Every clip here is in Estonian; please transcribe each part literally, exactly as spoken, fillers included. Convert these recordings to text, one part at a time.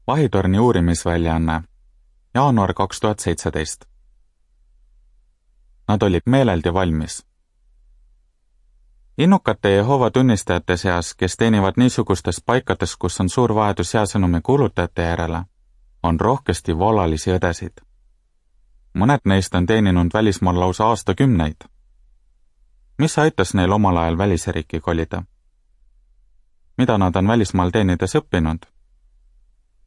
Vahitorni uurimisväljaanne, jaanuar kaks tuhat seitseteist. Nad olid meeleldi valmis. Innukate Jehoova tunnistajate seas, kes teenivad niisugustes paikades, kus on suur vajadus jääsõnumi kuulutajate järele, on rohkesti vallalisi õdesid. Mõned neist on teeninud välismaal lausa aastakümneid. Mis aitas neil omal ajal välisriiki kolida? Mida nad on välismaal teenides õppinud?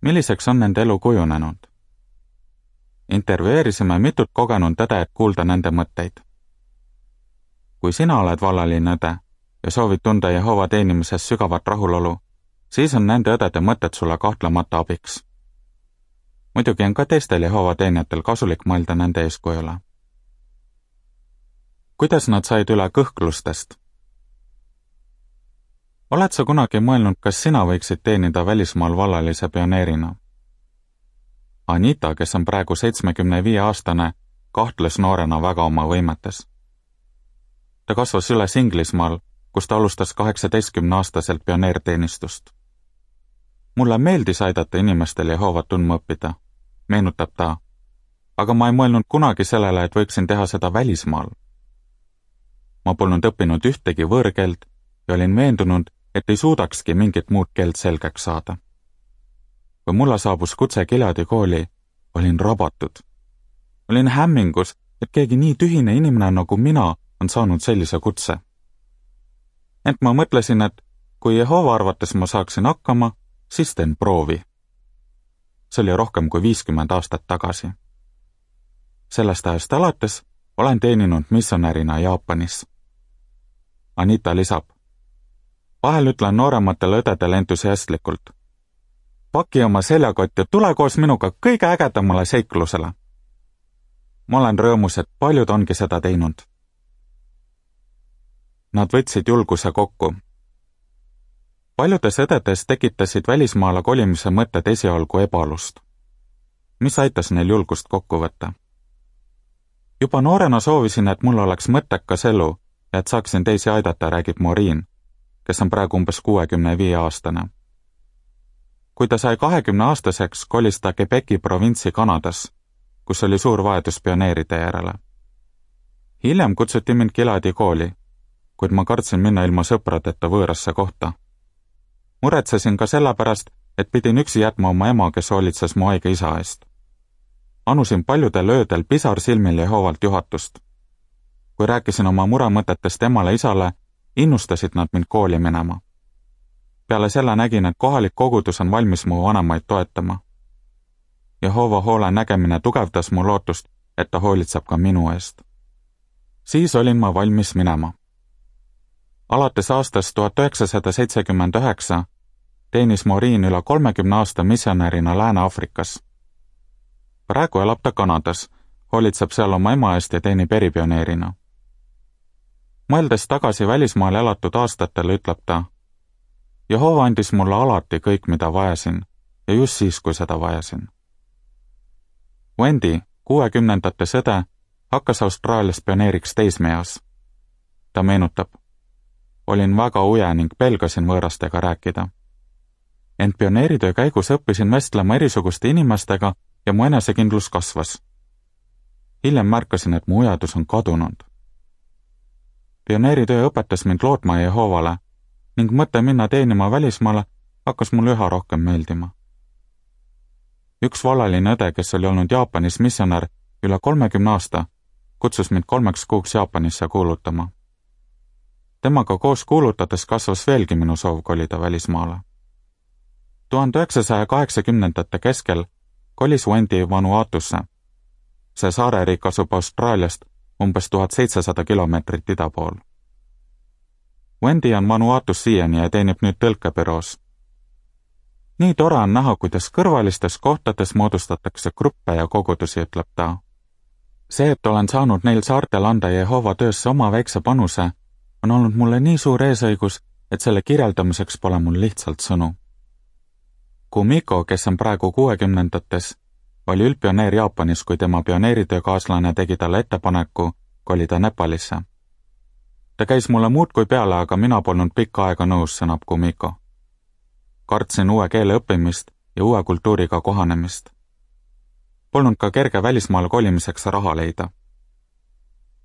Milliseks on nende elu kujunenud? Intervjueerisime mitut kogenud õde, et kuulda nende mõtteid. Kui sina oled vallaline õde ja soovid tunda Jehoova teenimises sügavat rahulolu, siis on nende õdede mõtted sulle kahtlemata abiks. Muidugi on ka teistel Jehoova teenijatel kasulik mõelda nende eeskujule. Kuidas nad said üle kõhklustest? Oled sa kunagi mõelnud, kas sina võiksid teenida välismaal vallalise pioneerina? Anita, kes on praegu seitsmekümne viie aastane, kahtles noorena väga oma võimetes. Ta kasvas üles Inglismaal, kus ta alustas kaheksateistkümne aastaselt pioneerteenistust. Mulle meeldis aidata inimestel Jehovat tundma õppida, meenutab ta, aga ma ei mõelnud kunagi sellele, et võiksin teha seda välismaal. Ma polnud õppinud ühtegi võõrkeelt ja olin veendunud, et ei suudakski mingit muud keelt selgeks saada. Kui mulle saabus kutse Gileadi kooli, olin rabatud. Olin hämmingus, et keegi nii tühine inimene nagu mina on saanud sellise kutse. Ent ma mõtlesin, et kui Jehova arvates ma saaksin hakkama, siis teen proovi. See oli rohkem kui viiskümmend aastat tagasi. Sellest ajast alates olen teeninud missionärina Jaapanis. Anita lisab, vahel ütlen noorematele õdedele entusiastlikult, paki oma seljakott ja tule koos minuga kõige ägedamale seiklusele. Ma olen rõõmus, et paljud ongi seda teinud. Nad võtsid julguse kokku. Paljudes õdedes tekitasid välismaale kolimise mõtted esialgu ebalust. Mis aitas neil julgust kokku võtta? Juba noorena soovisin, et mul oleks mõttekas elu ja et saaksin teisi aidata, räägib Maureen, kes on praegu umbes kuuekümne viie aastane. Kui ta sai kahekümne aastaseks, kolis ta Quebeci provintsi Kanadas, kus oli suur vajadus pioneeride järele. Hiljem kutsuti mind Gileadi kooli, kuid ma kartsin minna ilma sõpradeta võõrasse kohta. Muretsesin ka sellepärast, et pidin üksi jätma oma ema, kes hoolitses mu haige isa eest. Anusin paljudel öödel pisar silmil Jehovalt juhatust. Kui rääkisin oma muremõtetest emale isale, innustasid nad mind kooli minema. Peale selle nägin, et kohalik kogudus on valmis mu vanemaid toetama. Jehova hoole nägemine tugevdas mu lootust, et ta hoolitseb ka minu eest. Siis olin ma valmis minema. Alates aastast tuhat üheksasada seitsekümmend üheksa teenis Maureen üle kolmekümne aasta missionärina Lääne-Aafrikas. Praegu elab ta Kanadas, hoolitseb seal oma ema eest ja teenib eripioneerina. Mõeldes tagasi välismaal elatud aastatele, ütleb ta, Jehova andis mulle alati kõik, mida vajasin, ja just siis, kui seda vajasin. Wendy, kuuekümnendate sõde, hakkas Austraalias pioneeriks teismeeas. Ta meenutab, olin väga uje ning pelgasin võõrastega rääkida. Ent pioneeritöö käigus õppisin vestlema erisuguste inimestega ja mu enesekindlus kasvas. Hiljem märkasin, et mu ujadus on kadunud. Pioneeritöö õpetas mind lootma Jehovale ning mõte minna teenima välismaale hakkas mulle üha rohkem meeldima. Üks vallaline õde, kes oli olnud Jaapanis missionär üle kolmekümne aasta, kutsus mind kolmeks kuuks Jaapanisse kuulutama. Temaga koos kuulutades kasvas veelgi minu soov kolida välismaale. tuhande üheksasaja kaheksakümnendate keskel kolis Wendy Vanuatusse. See saareriik asub Austraaliast umbes tuhat seitsesada kilomeetrit ida pool. Wendy on Vanuatus siiani ja teenib nüüd tõlkebüroos. Nii tore on näha, kuidas kõrvalistes kohtades moodustatakse gruppe ja kogudusi, ütleb ta. See, et olen saanud neil saartel anda Jehova töösse oma väikse panuse, on olnud mulle nii suur eesõigus, et selle kirjeldamiseks pole mul lihtsalt sõnu. Kumiko, kes on praegu kuuekümnendates, oli üldpioneer Jaapanis, kui tema pioneeritöökaaslane tegi talle ettepaneku kolida Nepalisse. Ta käis mulle muudkui peale, aga mina polnud pikka aega nõus, sõnab Kumiko. Kartsin uue keele õppimist ja uue kultuuriga kohanemist. Polnud ka kerge välismaale kolimiseks raha leida.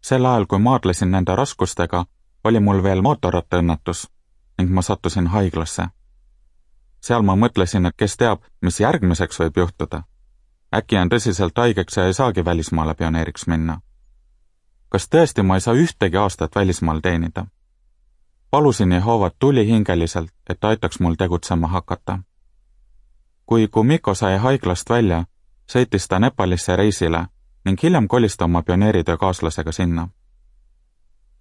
Sel ajal, kui maadlesin nende raskustega, oli mul veel mootorrattaõnnetus ning ma sattusin haiglasse. Seal ma mõtlesin, et kes teab, mis järgmiseks võib juhtuda. Äkki on tõsiselt haigeks ja ei saagi välismaale pioneeriks minna. Kas tõesti ma ei saa ühtegi aastat välismaal teenida? Palusin Jehovat tulihingeliselt, et aitaks mul tegutsema hakata. Kui Kumiko sai haiglast välja, sõitis ta Nepalisse reisile ning hiljem kolis ta oma pioneeritöö kaaslasega sinna.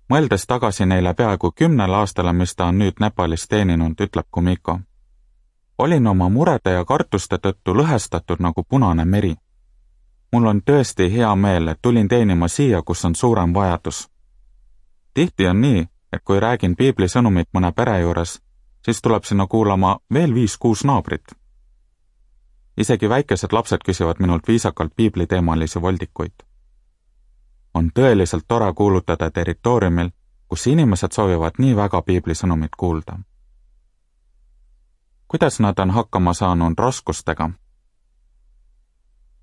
Mõeldes tagasi neile peaaegu kümnele aastale, mis ta on nüüd Nepalis teeninud, ütleb Kumiko. Olin oma murede ja kartuste tõttu lõhestatud nagu punane meri. Mul on tõesti hea meel, et tulin teenima siia, kus on suurem vajadus. Tihti on nii, et kui räägin piibli sõnumit mõne pere juures, siis tuleb sinna kuulama veel viis-kuus naabrit. Isegi väikesed lapsed küsivad minult viisakalt piibliteemalisi voldikuid. On tõeliselt tore kuulutada territooriumil, kus inimesed soovivad nii väga piibli sõnumit kuulda. Kuidas nad on hakkama saanud raskustega?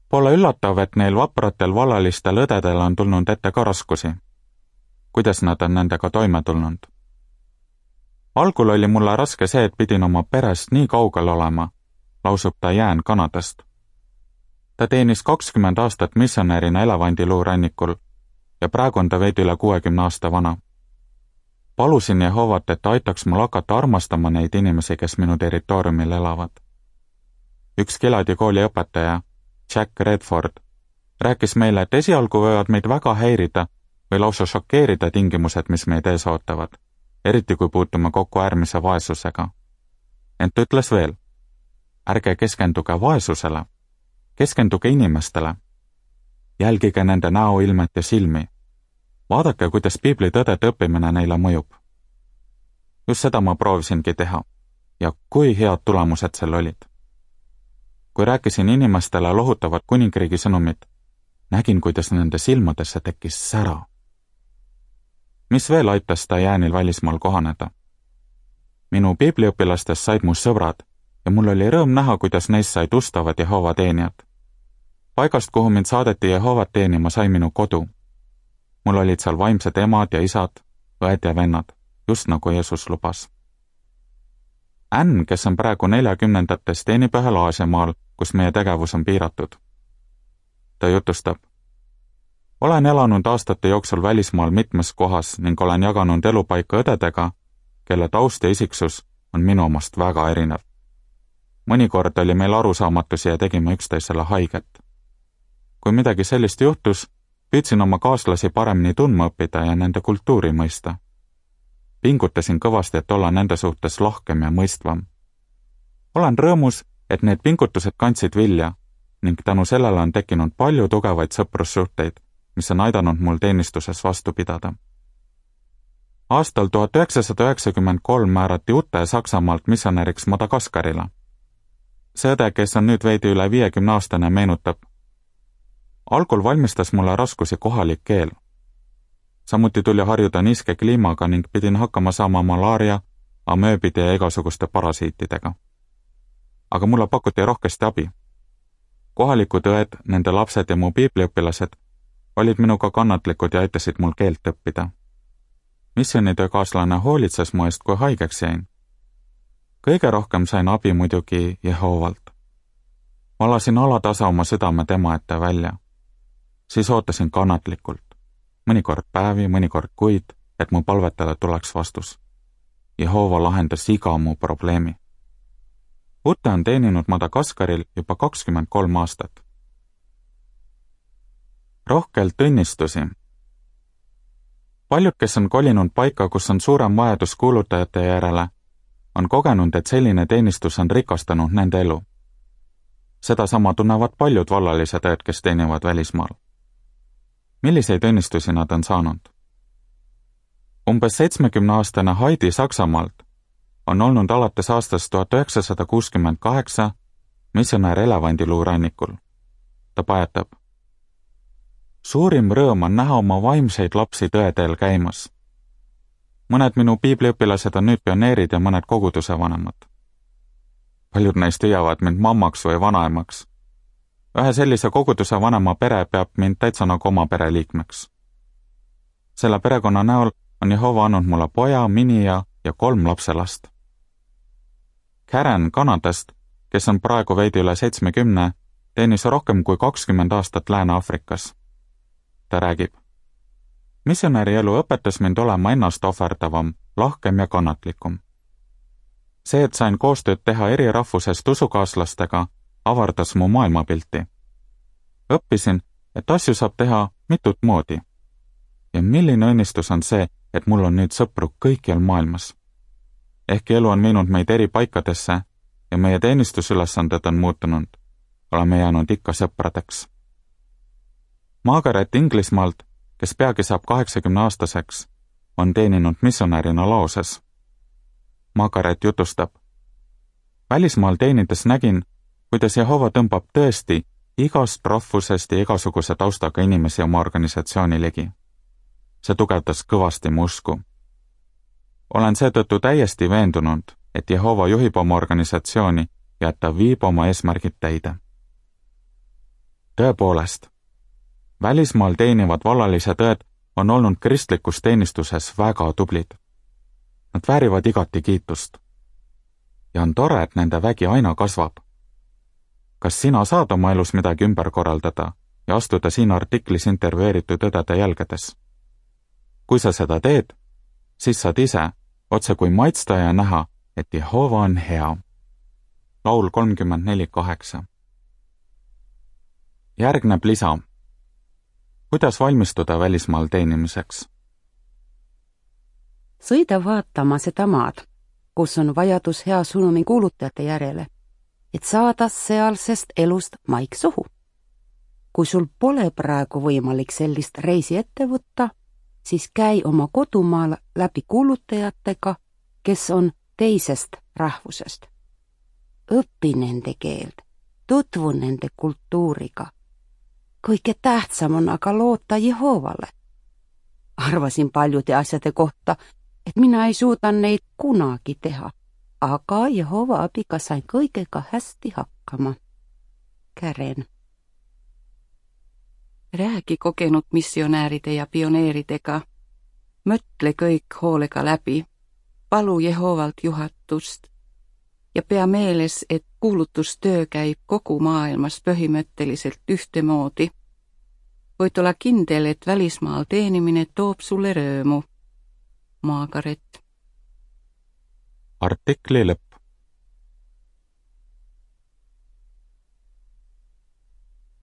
Pole üllatav, et neil vapratel vallalistel õdedel on tulnud ette ka raskusi. Kuidas nad on nendega toime tulnud? Algul oli mulle raske see, et pidin oma perest nii kaugel olema, lausub ta Jään Kanadast. Ta teenis kakskümmend aastat missionärina Elevandiluu rannikul ja praegu on ta veidi üle kuuekümne aasta vana. Palusin Jehovat, et ta aitaks mul hakata armastama neid inimesi, kes minu territooriumil elavad. Üks Giladi kooli õpetaja, Jack Redford, rääkis meile, et esialgu võivad meid väga häirida või lausa šokeerida tingimused, mis meid ees ootavad, eriti kui puutume kokku äärmise vaesusega. Ent ütles veel, ärge keskenduge vaesusele, keskenduge inimestele. Jälgige nende näoilmet ja silmi. Vaadake, kuidas piibli tõdede õppimine neile mõjub. Just seda ma proovisingi teha ja kui head tulemused sel olid. Kui rääkisin inimestele lohutavat kuningriigi sõnumit, nägin, kuidas nende silmadesse tekkis sära. Mis veel aitas ta Jäänil välismaal kohaneda? Minu piibliõpilastest said mu sõbrad ja mul oli rõõm näha, kuidas neist said ustavad Jehova teenijad. Paigast, kuhu mind saadeti Jehovat teenima, sai minu kodu. Mul olid seal vaimsed emad ja isad, õed ja vennad, just nagu Jeesus lubas. Ann, kes on praegu neljakümnendates, teenib ühel Aasiamaal, kus meie tegevus on piiratud. Ta jutustab. Olen elanud aastate jooksul välismaal mitmes kohas ning olen jaganud elupaika õdedega, kelle taust ja isiksus on minu omast väga erinev. Mõnikord oli meil arusaamatusi ja tegime üksteisele haiget. Kui midagi sellist juhtus, püüdsin oma kaaslasi paremini tundma õppida ja nende kultuuri mõista. Pingutasin kõvasti, et olla nende suhtes lahkem ja mõistvam. Olen rõõmus, et need pingutused kandsid vilja ning tänu sellele on tekkinud palju tugevaid sõprussuhteid, mis on aidanud mul teenistuses vastu pidada. Aastal tuhat üheksasada üheksakümmend kolm määrati Ute Saksamaalt missionäriks Madagaskarile. See õde, kes on nüüd veidi üle viiekümne aastane, meenutab. Algul valmistas mulle raskusi kohalik keel. Samuti tuli harjuda niiske kliimaga ning pidin hakkama saama malaaria, amööbide ja igasuguste parasiitidega. Aga mulle pakuti rohkesti abi. Kohalikud õed, nende lapsed ja mu piibliõpilased olid minuga kannatlikud ja aitasid mul keelt õppida. Missionitöökaaslane hoolitses mu eest, kui haigeks jäin. Kõige rohkem sain abi muidugi Jehovalt. Ma lasin alatasa oma südame tema ette välja. Siis ootasin kannatlikult. Mõnikord päevi, mõnikord kuid, et mu palvetele tuleks vastus. Jehova lahendas iga mu probleemi. Ute on teeninud Madagaskaril juba kakskümmend kolm aastat. Rohkelt õnnistusi. Paljud, kes on kolinud paika, kus on suurem vajadus kuulutajate järele, on kogenud, et selline teenistus on rikastanud nende elu. Seda sama tunnevad paljud vallalised õed, kes teenivad välismaal. Milliseid õnnistusi nad on saanud? Umbes seitsmekümneaastane Heidi Saksamaalt on olnud alates aastast tuhat üheksasada kuuskümmend kaheksa missionär Elevandiluu rannikul. Ta pajatab. Suurim rõõm on näha oma vaimseid lapsi tõeteel käimas. Mõned minu piibliõpilased on nüüd pioneerid ja mõned koguduse vanemad. paljud neist hüüavad mind mammaks või vanaemaks. Ühe sellise koguduse vanema pere peab mind täitsa nagu oma pereliikmeks. Selle perekonna näol on Jehova andnud mulle poja, minija ja kolm lapselast. Karen Kanadast, kes on praegu veidi üle seitsmekümne, teenis rohkem kui kakskümmend aastat Lääne-Aafrikas. Ta räägib: missionäri elu õpetas mind olema ennast ohverdavam, lahkem ja kannatlikum. See, et sain koostööd teha eri rahvusest usukaaslastega, avardas mu maailmapilti. Õppisin, et asju saab teha mitut moodi. Ja milline õnnistus on see, et mul on nüüd sõpru kõikjal maailmas. Ehkki elu on viinud meid eri paikadesse ja meie teenistusülesanded on muutunud, oleme jäänud ikka sõpradeks. Margaret Inglismaalt, kes peagi saab kaheksakümne aastaseks, on teeninud missionärina Laoses. Margaret jutustab: välismaal teenides nägin, kuidas Jehova tõmbab tõesti igast rahvusest ja igasuguse taustaga inimesi oma organisatsiooni ligi. See tugevdas kõvasti mu usku. Olen seetõttu täiesti veendunud, et Jehova juhib oma organisatsiooni ja et ta viib oma eesmärgid täide. Tõepoolest, välismaal teenivad vallalised õed on olnud kristlikus teenistuses väga tublid. Nad väärivad igati kiitust. Ja on tore, et nende vägi aina kasvab. Kas sina saad oma elus midagi ümber korraldada ja astuda siin artiklis intervjueeritud õdede jälgedes? Kui sa seda teed, siis saad ise otse kui maitsta ja näha, et Jehova on hea. Laul kolmkümmend neli kaheksa. Järgneb lisa. Kuidas valmistuda välismaal teenimiseks? Sõida vaatama seda maad, kus on vajadus hea sõnumi kuulutajate järele, et saada sealsest elust maik suhu. Kui sul pole praegu võimalik sellist reisi ette võtta, siis käi oma kodumaal läbi kuulutajatega, kes on teisest rahvusest. Õpi nende keeld, tutvu nende kultuuriga. Kõige tähtsam on aga loota Jehovale. Arvasin paljude asjade kohta, et mina ei suuda neid kunagi teha, aga Jehova abiga sain kõigega hästi hakkama. Karen. Räägi kogenud missionääride ja pioneeridega. Mõtle kõik hoolega läbi. Palu Jehovalt juhatust. Ja pea meeles, et kuulutustöö käib kogu maailmas põhimõtteliselt ühtemoodi. Võid olla kindel, et välismaal teenimine toob sulle rõõmu. Margaret. Artikli lõpp.